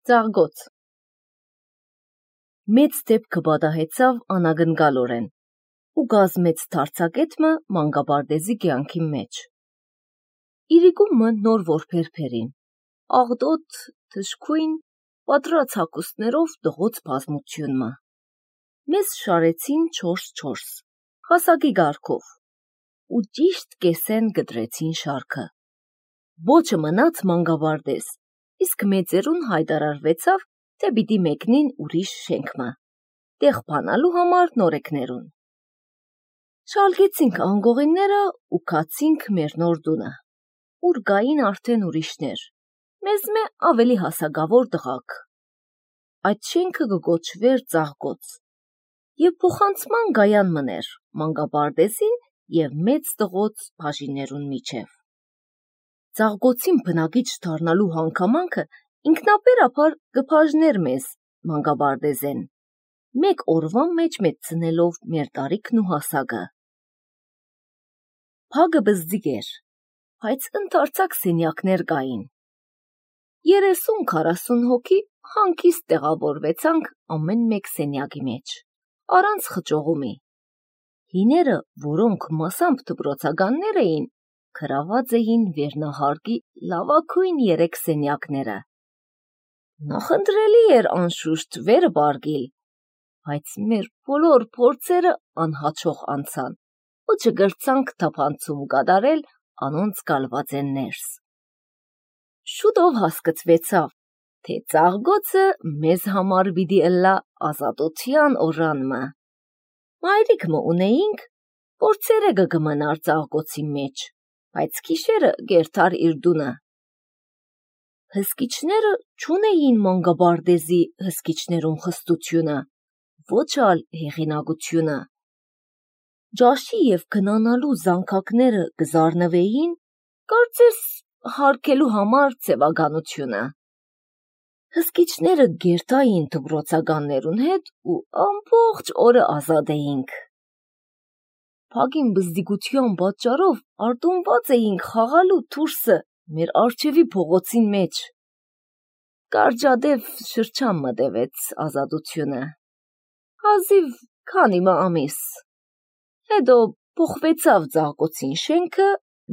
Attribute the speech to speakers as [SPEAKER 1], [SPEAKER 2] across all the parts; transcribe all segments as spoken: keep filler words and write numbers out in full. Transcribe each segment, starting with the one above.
[SPEAKER 1] Ծաղկոց Մեծ դեպքը բադահեցավ անագնգալորեն ու գազմեց թարցակետմը մանկաբարձի կյանքի մեջ։ Իրիկումը նոր որբերբերին, աղդոտ, թշքույն, պատրած հակուստներով դղոց բազմությունմը։ Մեզ շարեցին չորս-չորս, հասակի գարքով, ու ճիշտ կեսեն գդրեցին շարքը։ Ոչը մնաց մանկաբարձ, իսկ մեծերուն հայտարարվեցավ, թե պիտի մեկնին ուրիշ շենքմը, տեղ բանալու համար նորեկներուն։ Շալկեցինք անգողինները ու քացինք մեր նոր տունը, ուր գային արդեն ուրիշներ, մեզ մե ավելի հասակավոր տղաք։ Այդ շենքը կգոչվեր Ծաղկոց, և փոխանցման գայան մներ մանկաբարձին և մեծ տղոց բաժիններուն միջև։ Ծաղկոցին բնակիչ դառնալու հանգամանքը ինքնաբերաբար կբաժներ մեզ մանկաբարձեն, մեկ օրվա մեջ մեծցնելով մեր տարիքն ու հասակը։ Փագը բզդիկ էր, բայց ընդարձակ սենյակներ կային։ երեսուն-քառասուն հոգի հանգիստ տեղավորվեցանք ամեն մեկ սենյակի մեջ, առանց խճողումի։ Հիները, որոնք մասամբ դպրոցականներ էին, գրաված էին վերնահարկի լավագույն երեք սենյակները։ Նախընտրելի էր անշուշտ վերը պարգիլ, բայց մեր բոլոր փորձերը անհաջող անցան ու չգրցանք թափանցում կատարել անոնց գալվածեն ներս։ Շուտով հասկացվեցավ, թե Ծաղկոցը մեզ համար պիտի ըլլա ազատության օրանմը։ Մայրիկմը ունեինք, որ ցերեկը կմնար Ծաղկոցի մեջ, բայց գիշերը կերթար իր տունը։ Հսկիչները չունեին մանկաբարձի հսկիչներուն խստությունը, ոչ ալ հեղինակությունը։ Ճաշի և քնանալու զանգակները կզարնվեին, կարծես հարգելու համար ձևականությունը։ Հսկիչները կերտային դպրոցականներուն հետ ու ամբողջ օրը ազատ էինք։ Փագին բզդիկության պատճառով արտոնված էինք խաղալու դուրսը մեր առջևի փողոցին մեջ։ Կարճատև շրջան մտևեց ազատությունը, հազիվ քանի մը ամիս, հետո փոխվեցավ Ծաղկոցին շենքը,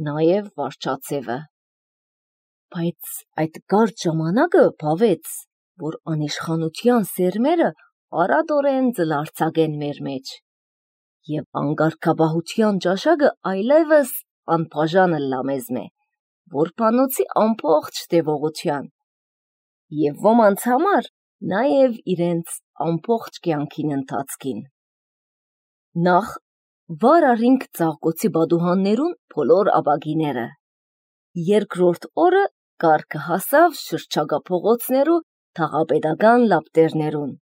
[SPEAKER 1] նաև վարչացևը։ Բայց այդ կարճ ժամանակը բավեց, որ անիշխանության սերմերը արատորեն ձլարձակեն մեր մեջ, և անկարգապահության ճաշակը այլևս անբաժան ըլլա մեզմե, որբանոցի ամբողջ տևողության, և ոմանց համար նաև իրենց ամբողջ կյանքին ընթացքին։ Նախ վար առինք Ծաղկոցի պատուհաններուն բոլոր ապակիները, երկրորդ օրը կարգը հասավ շրջակա փողոցներու թաղապետական լապտերներուն։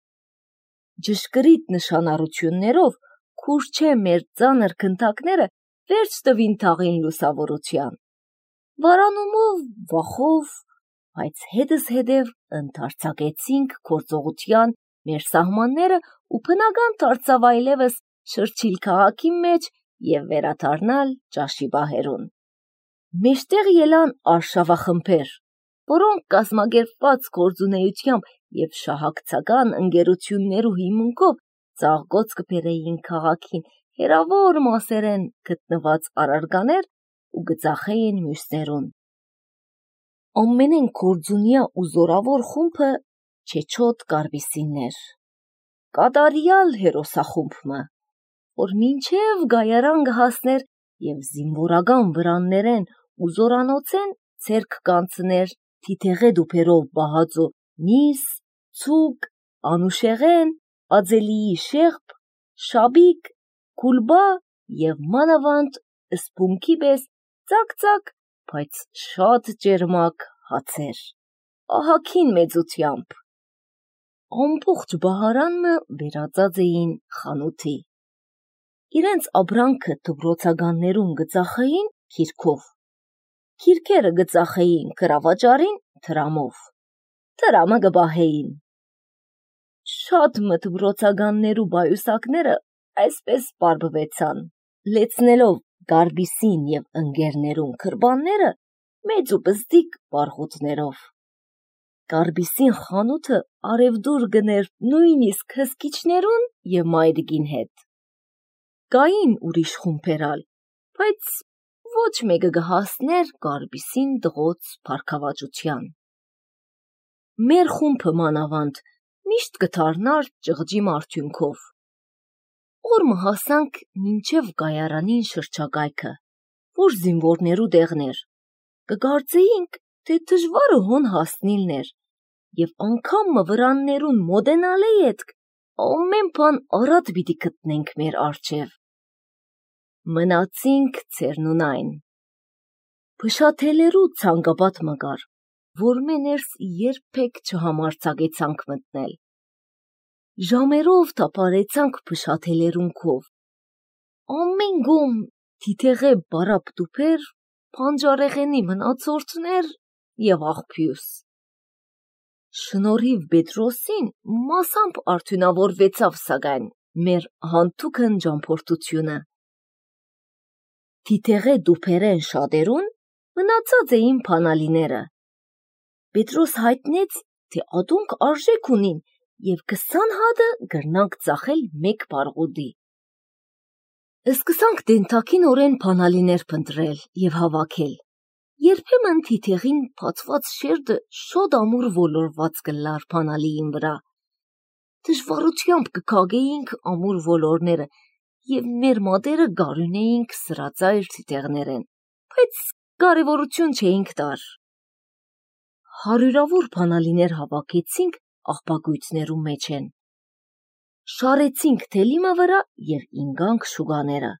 [SPEAKER 1] Ճշգրիտ նշանառություններով քուրչե մեր ծանր գնդակները վերջ տվին թաղին լուսավորության, վարանումով, վախով, բայց հետզհետև ընդարձակեցինք գործողության մեր սահմանները ու բնական դարձավ այլևս շրջիլ քաղաքի մեջ և վերադառնալ ճաշի պահերուն։ Մեջտեղ ելան արշավախմբեր, որոնք կազմակերպված գործունեությամբ և շահակցական ընկերություններու հիմունքով Ծաղկոց կբերեին քաղաքին հեռավոր մասերեն գտնված առարկաներ ու կծախեին մյուսներուն։ Ամենեն գործունյա ու զորավոր խումբը Չեչոտ Կարպիսինն էր, կատարյալ հերոսախումբը, որ մինչև գայարան կհասներ և զինվորական վրաններեն ու զորանոցեն ձեռք կանցներ թիթեղե տուփերով պահածու միս, ցուկ, անուշեղեն, ածելիի շեղբ, շաբիկ, գուլբա և մանավանդ սփունգի պես ծակ-ծակ, բայց շատ ճերմակ հացեր, ահագին մեծությամբ։ Ամբողջ բահարանը վերածած էին խանութի։ Իրենց ապրանքը դպրոցականներուն կծախեին գիրքով, գիրքերը կծախեին գրավաճառին դրամով, դրամը կպահեին։ Շատ մը դպրոցականներու պայուսակները այսպես պարբվեցան, լեցնելով Կարպիսին և ընկերներուն գրպանները մեծ ու բզդիկ պարղուտներով։ Կարբիսին խանութը արևդուր գներ նույնիսկ հսկիչներուն և մայրիկին հետ։ Կային ուրիշ խումբերալ, բայց ոչ մեկը գհասներ Կարբիսին դղոց փառքավաճության։ Մեր խումբը մանավանդ միշտ կդառնար ճղճի արդյունքով։ Օրը հասանք մինչև կայարանին շրջակայքը, որ զինվորներու տեղներ, կգարձեինք, թե դժվարը հոն հասնիլներ, և անգամ վրաններուն մոտենալե ետք ամեն բան առատ պիտի գտնենք մեր առջև։ Մնացինք ցերնունայն։ Փշաթելերու ցանկապատ մգար, որ մեներս երբեք չհամարձակեցանք մտնել։ Ժամերով թափարեցանք փշաթելերուն քով։ Ամեն գոմ թիթեղե բարապ տուփեր, բանջարեղենի մնացորդներ և աղբյուս։ Շնորհիվ Պետրոսին մասամբ արդյունավորվեցավ սակայն մեր հանթուքն ճամփորդությունը։ Թիթեղե տուփերեն շատերուն մնացած էին բանալիները։ Պետրոս հայտնեց, թե ադունք արժեք ունին և քսան հատը գրնանք ծախել մեկ պարղուդի։ Սկսանք դենթակինորեն բանալիներ փնտրել և հավաքել։ Երբեմն թիթեղին բացված շերտը շատ ամուր ոլորված կլար բանալիին վրա։ Դժվարությամբ կքագեինք ամուր ոլորները և մեր մատերը գարունեինք սրածայր թիթեղներեն, բայց կարևորություն չէինք տար։ Հարյուրավոր բանալիներ հավաքեցինք աղբագույցներու մեջեն։ Շարեցինք թելիմը վրա և ինգանք շուկաները։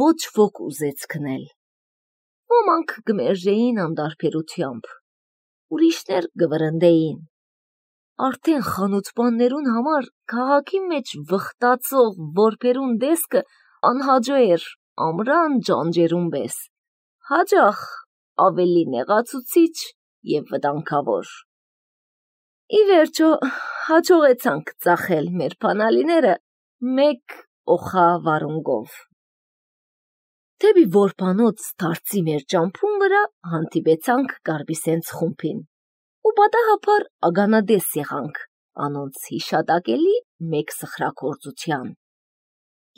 [SPEAKER 1] Ոչ ոք ուզեց քնել։ Ոմանք կմերժեին անտարբերությամբ, ուրիշներ կվրընդեին։ Արդեն խանութպաններուն համար քաղաքի մեջ վխտացող որբերուն տեսքը անհաջո էր ամռան ջանջերուն պես, հաճախ ավելի նեղացուցիչ և վտանգավոր։ Ի վերջո հաջողեցանք ծախել մեր բանալիները մեկ օխա վարունգով։ Դեպի որբանոց դարձի մեր ճամփուն վրա հանդիպեցանք Կարբիսենց խումբին ու պատահաբար ականատես եղանք անոնց հիշատակելի մեկ սխրագործության։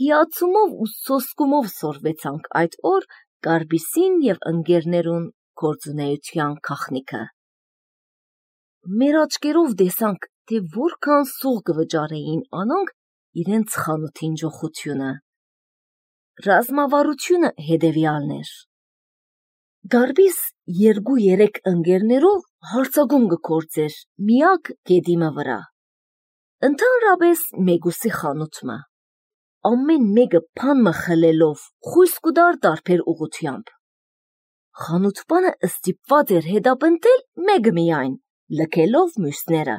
[SPEAKER 1] Հիացումով ու սոսկումով սորվեցանք այդ օր Կարբիսին և ընկերներուն գործունեության գաղտնիքը։ Մեր աչքերով տեսանք, թե որքան սուղ կվճարեին անոնք իրենց խանութին ջոխությունը։ Ռազմավարությունը հետևյալն էր. Գարբիս երկու-երեք ընկերներով հարձակում կգործեր միակ գետիմը վրա։ Ընդհանրապես մեկուսի խանութը։ Ամեն մեկը բանմը խլելով խույս կուտար տարբեր ուղությամբ։ Խանութպանը ստիպված էր հետապնդել մեկը միայն, լքելով մյուսները,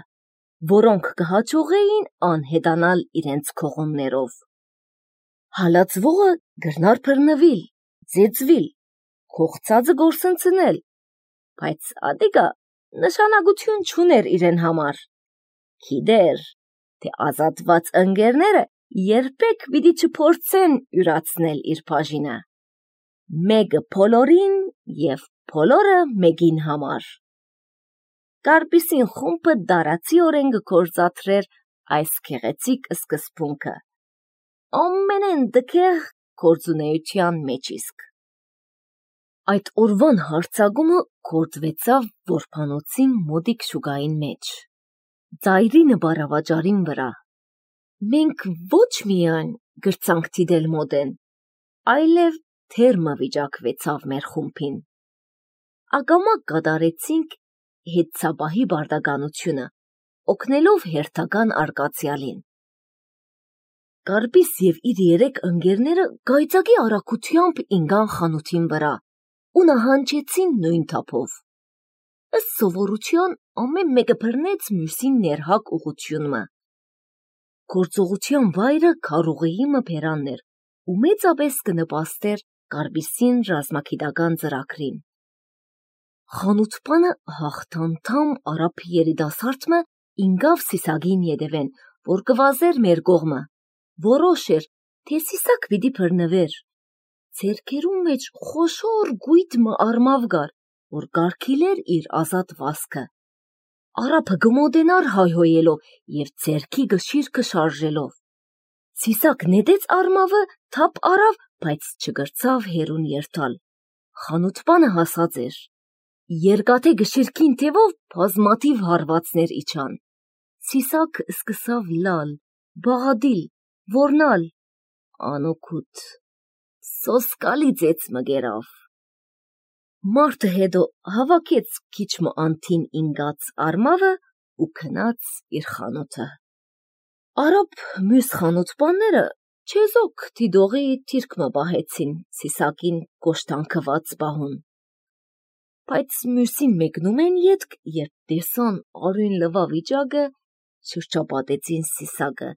[SPEAKER 1] որոնք կհաջողեին անհետանալ իրենց քողումներով։ Հալածվողը գրնար բռնվել, ծեծվել, կողծածը գործընծնել, բայց ադիգա նշանակություն չուներ իրեն համար։ Գիտեր, թե ազատված ընկերները երբեք պիտի չփորձեն յուրացնել իր բաժինը։ Մեկը բոլորին և բոլորը մեկին համար։ Կարբիսին խումբը դարացիորեն կգործադրեր այս գեղեցիկ սկզբունքը։ Ամենեն տգեղ գործունեության մեջ իսկ։ Այդ օրվան հարձակումը գործվեցավ որբանոցին մոտիկ շուկային մեջ, ծայրի նպարավաճառին վրա։ Մենք ոչ միայն գրցանք դիտել մոտեն, այլև թերմը վիճակվեցավ մեր խումբին։ Ակամա կատարեցինք հետցապահի պարտականությունը, օգնելով հերթական արկածյալին։ Կարբիս և իր երեք ընկերները գայծակի արագությամբ ինգան խանութին վրա ու նահանջեցին նույն թափով։ Ըստ սովորության ամեն մեկը բռնեց մյուսին ներհակ ուղղությունը։ Գործողության վայրը քարուղիի մբերանն էր ու մեծապես կնպաստեր Կարբիսին ռազմագիտական ծրագրին։ Խանութպանը հաղթանդամ արաբ երիտասարդը ինգավ Սիսակին ետևեն, որ կվազեր մեր կողմը, որոշ էր, թե Սիսակ պիտի բռնվեր։ Ձեռքերու մեջ խոշոր գույտ մը արմավ կար, որ կարգիլեր իր ազատ վազքը, Արափը գմոդենար հայհոյելով և ձերքի գշիրքը շարժելով։ Սիսակ նետեց արմավը, թափ արավ, բայց չգրցավ հերուն երթալ։ Խանութպանը հասած էր։ Երկաթե գշիրքին թևով բազմաթիվ հարվածներ իջան։ Սիսակ սկսավ լալ, բաղադիլ, որնալ, անօգուտ, սոսկալի ծեծ մգերավ։ Մարդը հետո հավաքեց քիչմը անթին ինգած արմավը ու քնաց իր խանութը։ Արապ մյուս խանութպանները չեզոք թիդողի թիրքմը բահեցին Սիսակին գոշտանքված բահուն։ Բայց մյուսին մեկնում են ետք, երբ տեսան արույն լվա վիճակը, շրջապատեցին Սիսակը,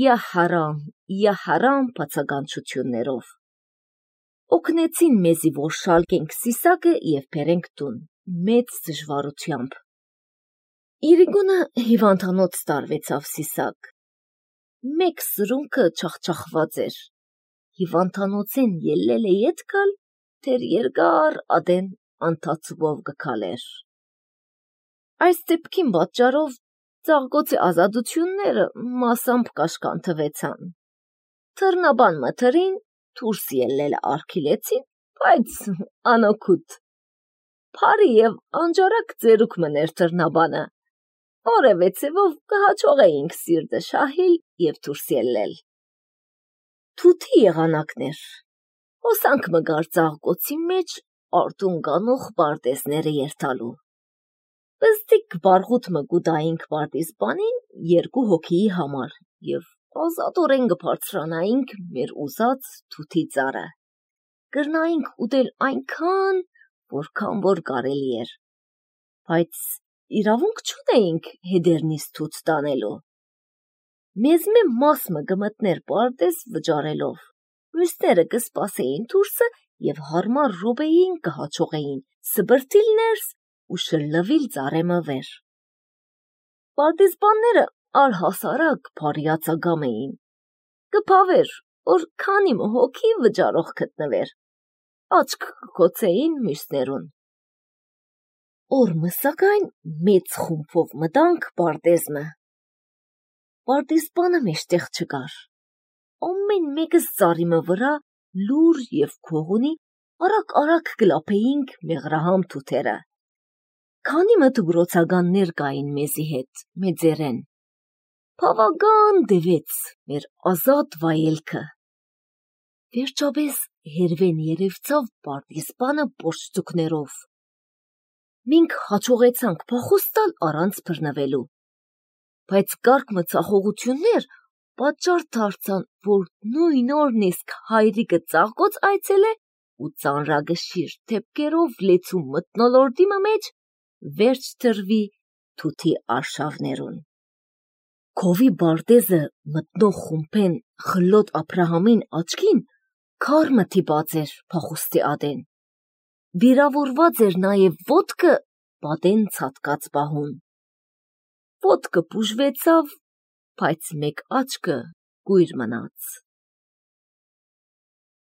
[SPEAKER 1] «Յա հարամ, յա հարամ» բացականչություններով։ Օգնեցին մեզի, որ շալկենք Սիսակը և բերենք տուն, մեծ դժվարությամբ։ Իրիկունը հիվանդանոց տարվեցավ Սիսակ։ Մեկ սրունքը չախչախված էր։ Հիվանդանոցեն ելել է ետ գալ, թեր երկար ադեն անթացվով գքալեր։ Այս դեպքին պատճառով ծաղկոցի ազատությունները մասամբ կաշկանթվեցան։ Թռնաբան մթրին դուրս ելել արգիլեցին, բայց անօգուտ։ Փարի և անջարակ ձերուկ մներ թռնաբանը, որևէ ցևով կհաջողեինք սիրտը շահել և դուրս ելնել։ Թութի եղանակներ, հոսանք մգար ծաղկոցի մեջ արտուն գանող պարտեզները երթալու։ Բզդիկ բարգուտ մգուտայինք պարտիզբանին երկու հոգիի համար և ազատորեն կբարձրանայինք մեր ուզած թութի ծառը։ Կրնայինք ուտել այնքան, որքան որ կարելի էր, բայց իրավունք չունեինք հետերնից թութ տանելու։ Մեզ մե մասմը կմտներ պարտեզ վճարելով, մյուսները կսպասեին դուրսը և հարմար րոպեին կհաջողեին սբրտիլ ներս ու շլլվիլ ծառեմը վեր։ Պարտիզբանները առհասարակ բարյացակամ էին։ Կփավեր, որ քանի հոգի վճարող գտնվեր, աչք կկոցեին մյուսներուն։ Օրը սակայն մեծ խումբով մտանք պարտեզմը։ Պարտիզբանը մեջտեղ չկար։ Ամեն մեկս ծառիմը վրա լուր և քողունի արագ-արագ կլափեինք մեղրահամ թութերը։ Քանի մը դպրոցականներ կային մեզի հետ, մեծերեն։ Բավական դևեց մեր ազատ վայելքը։ Վերջապես հերվեն երևցավ պարտիզբանը պորտստուկներով։ Մենք հաջողեցանք փախուստ տալ առանց բռնվելու, բայց կարգ մցախողություններ պատճառ դարձան, որ նույն օրն իսկ հայրիկը ծաղկոց այցելե ու ծանրագշիր դեպքերով լեցուն մթնոլորտի մեջ վերջ դրվի թութի արշավներուն։ Քովի բարտեզը մտնող խումբեն խլոտ Աբրահամին աչքին քար մթիպած էր փախուստի ադեն։ Վիրավորված էր նաև ոտքը պատեն ցատկած բահուն։ Ոտքը բուժվեցավ, բայց մեկ աչքը կույր մնաց։